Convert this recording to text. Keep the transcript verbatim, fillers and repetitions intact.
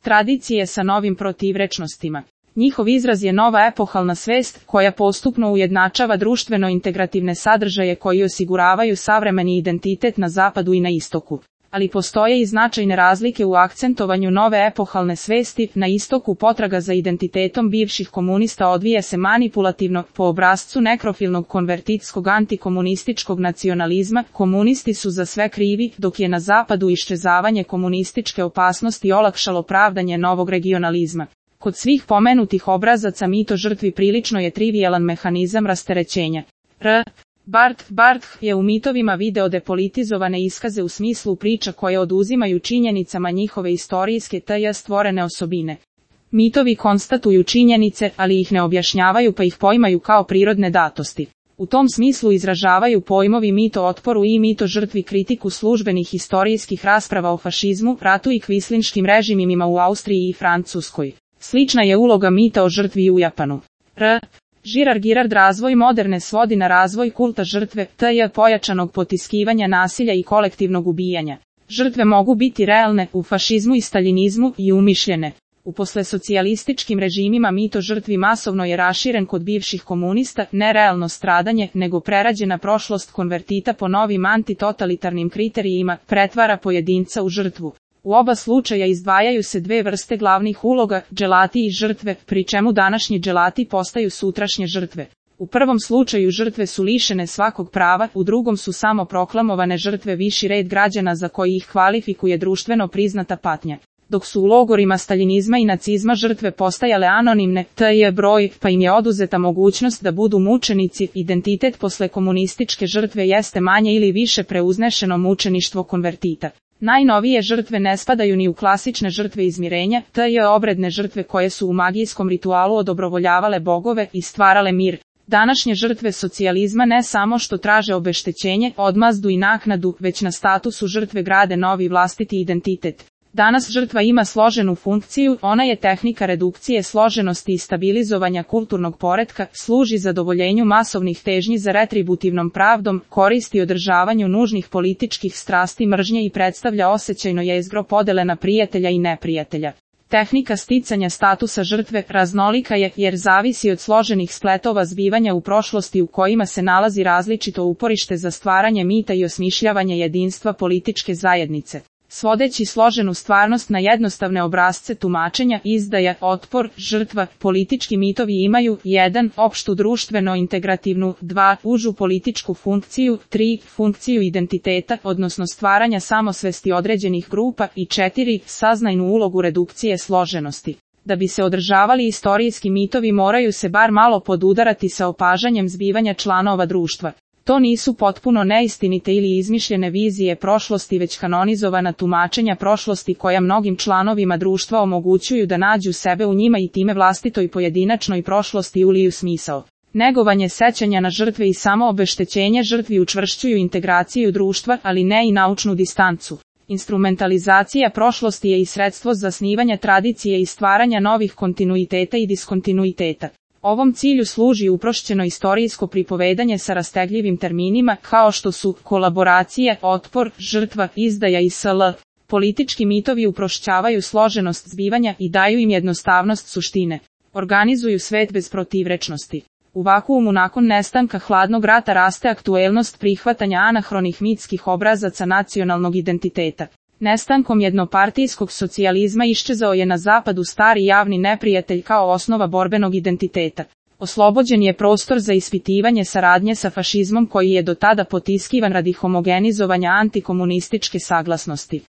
tradicije sa novim protivrečnostima. Njihov izraz je nova epohalna svest, koja postupno ujednačava društveno integrativne sadržaje koji osiguravaju savremeni identitet na zapadu i na istoku. Ali postoje i značajne razlike u akcentovanju nove epohalne svesti. Na istoku potraga za identitetom bivših komunista odvija se manipulativno, po obrascu nekrofilnog konvertitskog antikomunističkog nacionalizma. Komunisti su za sve krivi, dok je na zapadu iščezavanje komunističke opasnosti olakšalo pravdanje novog regionalizma. Kod svih pomenutih obrazaca mito žrtvi prilično je trivijalan mehanizam rasterećenja. R. Barth Barth je u mitovima video depolitizovane iskaze u smislu priča koje oduzimaju činjenicama njihove istorijske tj. stvorene osobine. Mitovi konstatuju činjenice, ali ih ne objašnjavaju pa ih poimaju kao prirodne datosti. U tom smislu izražavaju pojmovi mito otporu i mito žrtvi kritiku službenih istorijskih rasprava o fašizmu, ratu i kvislinškim režimima u Austriji i Francuskoj. Slična je uloga mita o žrtvi u Japanu. R. Girard Girard razvoj moderne svodi na razvoj kulta žrtve, tj. pojačanog potiskivanja nasilja i kolektivnog ubijanja. Žrtve mogu biti realne u fašizmu i staljinizmu i umišljene. U poslesocijalističkim režimima mito žrtvi masovno je raširen kod bivših komunista, ne realno stradanje, nego prerađena prošlost konvertita po novim antitotalitarnim kriterijima, pretvara pojedinca u žrtvu. U oba slučaja izdvajaju se dve vrste glavnih uloga, dželati i žrtve, pri čemu današnji dželati postaju sutrašnje žrtve. U prvom slučaju žrtve su lišene svakog prava, u drugom su samo proklamovane žrtve viši red građana za koji ih kvalifikuje društveno priznata patnja. Dok su u logorima staljinizma i nacizma žrtve postajale anonimne, tj. broj, pa im je oduzeta mogućnost da budu mučenici, identitet posle komunističke žrtve jeste manje ili više preuznešeno mučeništvo konvertita. Najnovije žrtve ne spadaju ni u klasične žrtve izmirenja, tj. obredne žrtve koje su u magijskom ritualu odobrovoljavale bogove i stvarale mir. Današnje žrtve socijalizma ne samo što traže obeštećenje, odmazdu i naknadu, već na statusu žrtve grade novi vlastiti identitet. Danas žrtva ima složenu funkciju, ona je tehnika redukcije složenosti i stabilizovanja kulturnog poretka, služi zadovoljenju masovnih težnji za retributivnom pravdom, koristi održavanju nužnih političkih strasti mržnje i predstavlja osjećajno jezgro podele na prijatelja i neprijatelja. Tehnika sticanja statusa žrtve raznolika je jer zavisi od složenih spletova zbivanja u prošlosti u kojima se nalazi različito uporište za stvaranje mita i osmišljavanje jedinstva političke zajednice. Svodeći složenu stvarnost na jednostavne obrasce tumačenja, izdaja, otpor, žrtva, politički mitovi imaju jedan opštu društveno integrativnu, dva užu političku funkciju, tri funkciju identiteta, odnosno stvaranja samosvesti određenih grupa i četiri saznajnu ulogu redukcije složenosti. Da bi se održavali istorijski mitovi moraju se bar malo podudarati sa opažanjem zbivanja članova društva. To nisu potpuno neistinite ili izmišljene vizije prošlosti već kanonizovana tumačenja prošlosti koja mnogim članovima društva omogućuju da nađu sebe u njima i time vlastitoj pojedinačnoj prošlosti uliju smisao. Negovanje sećanja na žrtve i samo obeštećenje žrtvi učvršćuju integraciju društva, ali ne i naučnu distancu. Instrumentalizacija prošlosti je i sredstvo zasnivanja tradicije i stvaranja novih kontinuiteta i diskontinuiteta. Ovom cilju služi uprošćeno istorijsko pripovedanje sa rastegljivim terminima kao što su kolaboracija, otpor, žrtva, izdaja i sl. Politički mitovi uprošćavaju složenost zbivanja i daju im jednostavnost suštine. Organizuju svet bez protivrečnosti. U vakuumu nakon nestanka hladnog rata raste aktuelnost prihvatanja anahronih mitskih obrazaca nacionalnog identiteta. Nestankom jednopartijskog socijalizma iščezao je na zapadu stari javni neprijatelj kao osnova borbenog identiteta. Oslobođen je prostor za ispitivanje saradnje sa fašizmom koji je do tada potiskivan radi homogenizovanja antikomunističke saglasnosti.